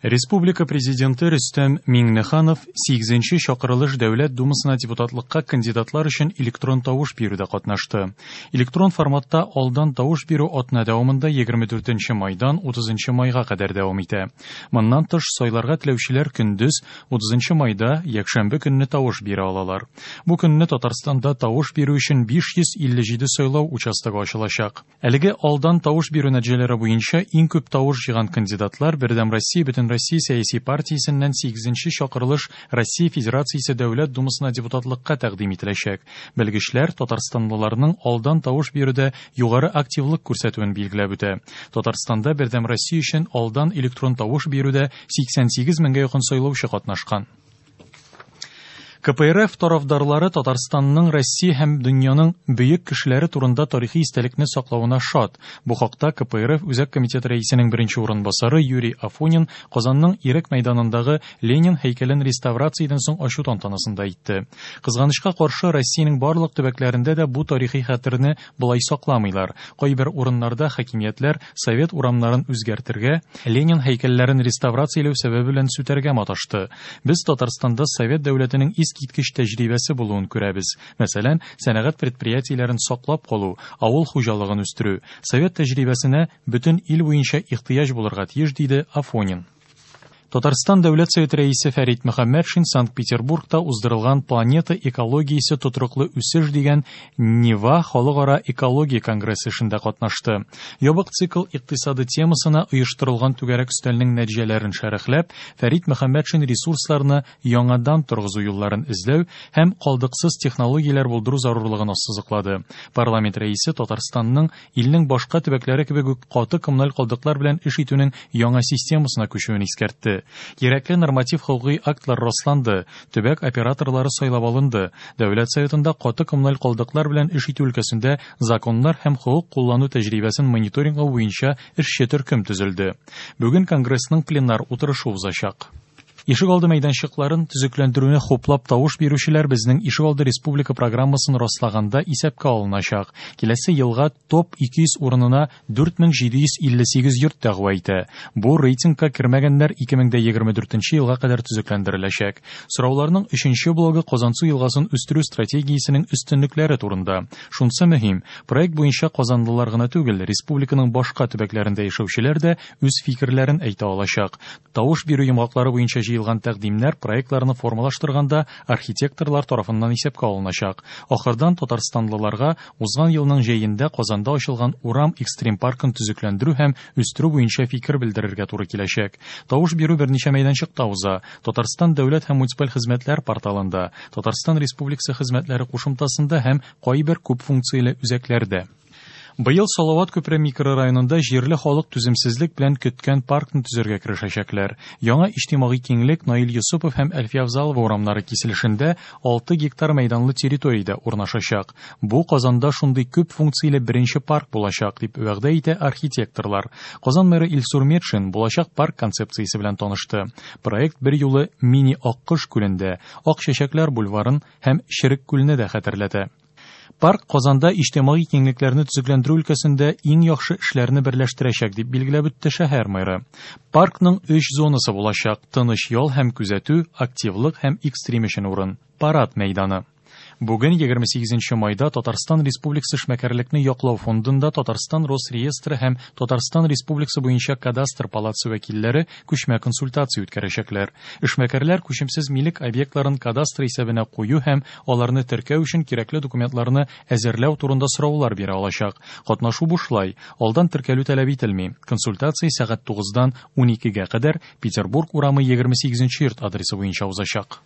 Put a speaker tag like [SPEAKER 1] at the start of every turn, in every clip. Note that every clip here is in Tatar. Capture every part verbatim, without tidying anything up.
[SPEAKER 1] Республика Президенты Рөстәм Миңнеханов сигезенче чакырылыш Дәүләт Думасына депутатлыкка кандидатлар өчен электрон тавыш бирүдә катнашты. Электрон форматта алдан тавыш бирү атна дәвамында егерме дүртенче майдан утызынчы майга кадәр дәвам итә. Моннан тыш, сайларга теләүчеләр көндез утызынчы майда якшәмбе көнне тавыш бирә алалар. Бу көнне Татарстанда тавыш бирү өчен биш йөз илле җиде сайлау участогы ачылачак. Әлеге алдан тавыш бирү нәтиҗәләре буенча иң күп тавыш җыйган кандидатлар Бердәм Россия бөтен Россия сәяси партиясеннән сигезенче чакырылыш Россия Федерациясе Дәүләт Думасына депутатлыкка тәкъдим ителәчәк. Белгечләр татарстанлыларның алдан тавыш бирүдә югары активлык күрсәтүен билгеләп үтә. Татарстанда Бердәм Россия өчен алдан электрон тавыш бирүдә сиксән сигез меңгә якын сайлаучы катнашкан. К П Р Ф тарафдарлары Татарстанның Россия һәм дөньяның бөек кешеләре турында тарихи истәлекне саклавына шат. Бу хакта К П Р Ф Үзәк комитеты рәисенең беренче урынбасары Юрий Афонин Казанның Ирек мәйданындагы Ленин һәйкәлен реставрациядән соң ачу тантанасында әйтте. Кызганычка каршы, Россиянең барлык төбәкләрендә дә бу тарихи хәтерне болай сакламыйлар. Кайбер урыннарда хакимиятләр совет урамнарын үзгәртергә, Ленин һәйкәлләрен реставрацияләү сәбәбе белән сүтәргә маташты. Без Татарстанда совет дәүләтенең искиткеч тәҗрибәсе булуын күрәбез. Мәсәлән, сәнәгать предприятиеләрен саклап калу, авыл хуҗалыгын үстерү. Совет тәҗрибәсенә бөтен ил буенча ихтыяҗ булырга тиеш, диде Афонин. Татарстан Дәүләт Советы рәисе Фәрит Мөхәммәтшин Санкт-Петербургта уздырылган Планета экологиясе тотрыклы үсеш дигән Нева халыкара экология конгрессы эшендә катнашты. Ябык цикл икътисады темасына оештырылган түгәрәк өстәлнең нәтиҗәләрен шәрехләп, Фәрит Мөхәммәтшин ресурсларны яңадан торгызу юлларын эзләү һәм калдыксыз технологияләр булдыру зарурлыгын ассызыклады. Парламент рәисе Татарстанның илнең башка төбәкләре кебек үк каты коммуналь калдыклар белән эш итүнең яңа системасына күчүен искәртте. Кирәкле норматив хокукый актлар расланды, төбәк операторлары сайлап алынды. Дәүләт Советында каты коммуналь калдыклар белән эш итү өлкәсендә законнар һәм хокук куллану тәҗрибәсен мониторинглау буенча эшче төркем төзелде. Бүген Конгрессның пленар утырышы узачак. Ишегалды мәйданчыкларын төзекләндерүне хуплап тавыш бирүчеләр безнең Ишегалды республика программасын раслаганда исәпкә алыначак. Киләсе елга топ ике йөз урынына дүрт мең җиде йөз илле сигез йорт дәгъва итә. Бу рейтингка кермәгәннәр ике мең дә егерме дүртенче елга кадәр төзекләндереләчәк. Сорауларның өченче блогы Казансу елгасын үстерү стратегиясенең өстенлекләре турында. Шунысы мөһим, проект буенча казанлылар гына түгел, республиканың башка төбәкләрендә яшәүчеләр дә үз фикерләрен әйтә алачак. Тавыш бирү йомгаклары буенча җыелган тәкъдимнәр проектларны формалаштырганда архитекторлар тарафыннан исәпкә алыначак. Ахырдан татарстанлыларга узган елның җәендә Казанда ачылган Урам экстрим паркын төзекләндерү һәм үстерү буенча фикер белдерергә туры киләчәк. Тавыш бирү берничә мәйданчыкта уза. Татарстан дәүләт һәм муниципаль хезмәтләр порталында, Татарстан Республикасы хезмәтләре кушымтасында һәм кайбер күп функцияле үзәкләрдә. Быел Салават күпере микрорайонында җирле халык түземсезлек белән көткән паркны төзергә керешәчәкләр. Яңа иҗтимагый киңлек Наил Юсупов һәм Әлфия Авзалова урамнары киселешендә алты гектар мәйданлы территориядә урнашачак. Бу Казанда шундый күп функцияле беренче парк булачак, дип вәгъдә итә архитекторлар. Казан мэры Илсур Метшин булачак парк концепциясе белән танышты. Проект бер юлы мини Аккош күлендә, Ак чәчәкләр бульварын һәм Черек күлне дә хәтерләтә. Парк Казанда иҗтимагый киңлекләрне төзекләндерү өлкәсендә иң яхшы эшләрне берләштерәчәк, дип билгеләп үтте шәһәр мэры. Паркның өч зонасы булачак: тыныч ял һәм күзәтү, активлык һәм экстрим өчен урын, парад мәйданы. Бүген егерме сигезенче майда Татарстан Республикасы эшмәкәрлекне яклау фондында Татарстан Росреестры һәм Татарстан Республикасы буенча кадастр палатасы вәкилләре күчмә консультация үткәрәчәкләр. Эшмәкәрләр күчемсез милек объектларын кадастр исәбенә кую һәм аларны теркәү өчен кирәкле документларны әзерләү турында сораулар бирә алачак. Катнашу бушлай, алдан теркәлү таләп ителми. Консультация сәгать тугыздан уникегә кадәр Петербург урамы егерме сигезенче йорт адресы буенча узачак.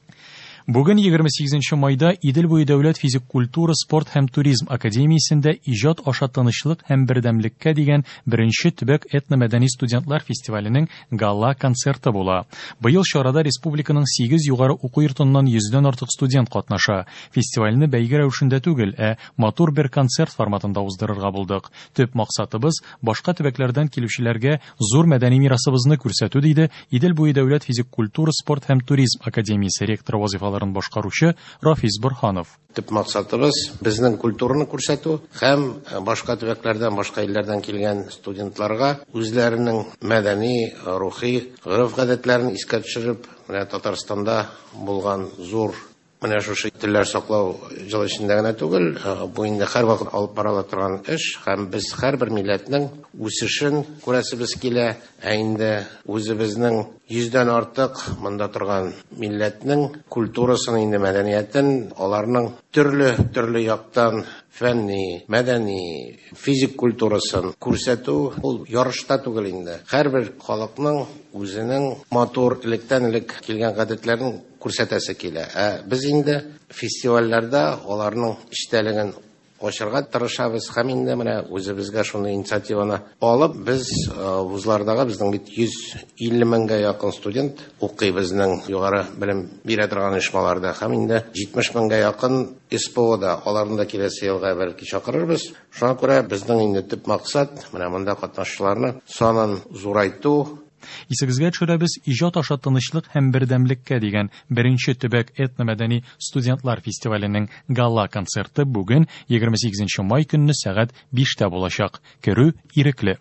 [SPEAKER 1] Бүген егерме сигезенче майда Идел буе дәүләт физик культура, спорт һәм туризм академиясендә иҗат аша тынычлык һәм бердәмлеккә дигән беренче төбәк этномәдәни студентлар фестиваленең гала концерты була. Быел чарада республиканың сигез югары уку йортыннан йөздән артык студент катнаша. Фестивальне бәйге рәвешендә түгел, ә матур бер концерт форматында уздырырга булдык. Төп максатыбыз башка төбәкләрдән килүчеләргә зур мәдәни мирасыбызны күрсәтү, диде Идел буе дәүләт физик культура, спорт һәм туризм академиясе ректоры вазифаларын вазифаларын башкаручы Рафис Борһанов.
[SPEAKER 2] Төп максатыбыз безнең культураны күрсәтү һәм башка төбәкләрдән, башка илләрдән килгән студентларга үзләренең мәдәни, рухи гореф-гадәтләрен искә төшереп, менә Татарстанда булган зур менә шушы телләр саклау җыл эчендә генә түгел, бу инде һәрвакыт алып барыла торган эш, һәм без һәрбер милләтнең үсешен күрәсебез килә. Ә инде үзебезнең йөздән артык монда торган милләтнең культурасын, инде мәдәниятен, аларның төрле-төрле яктан фәнни, мәдәни, физик культурасын күрсәтү ул ярышта түгел инде. Һәрбер халыкның үзенең матур электән-элек килгән гадәтләрен күрсәтәсе килә. Ә без инде фестивальләрдә аларның эчтәлеген ачырга тырышабыз һәм инде менә үзебезгә шуны инициативаны алып, без вузлардагы безнең бит йөз илле меңгә якын студент укый безнең югары белем бирә торган оешмаларда һәм инде җитмеш меңгә якын СПОда, аларны да киләсе елга бәлки чакырырбыз. Шуңа күрә безнең инде төп максат менә монда катнашучыларны санын зурайту.
[SPEAKER 1] Исегезгә төшерәбез, иҗат аша тынычлык һәм бердәмлеккә дигән беренче төбәк этномәдәни студентлар фестиваленең гала концерты бүген егерме сигезенче май көнне сәгать биштә булачак. Керү ирекле.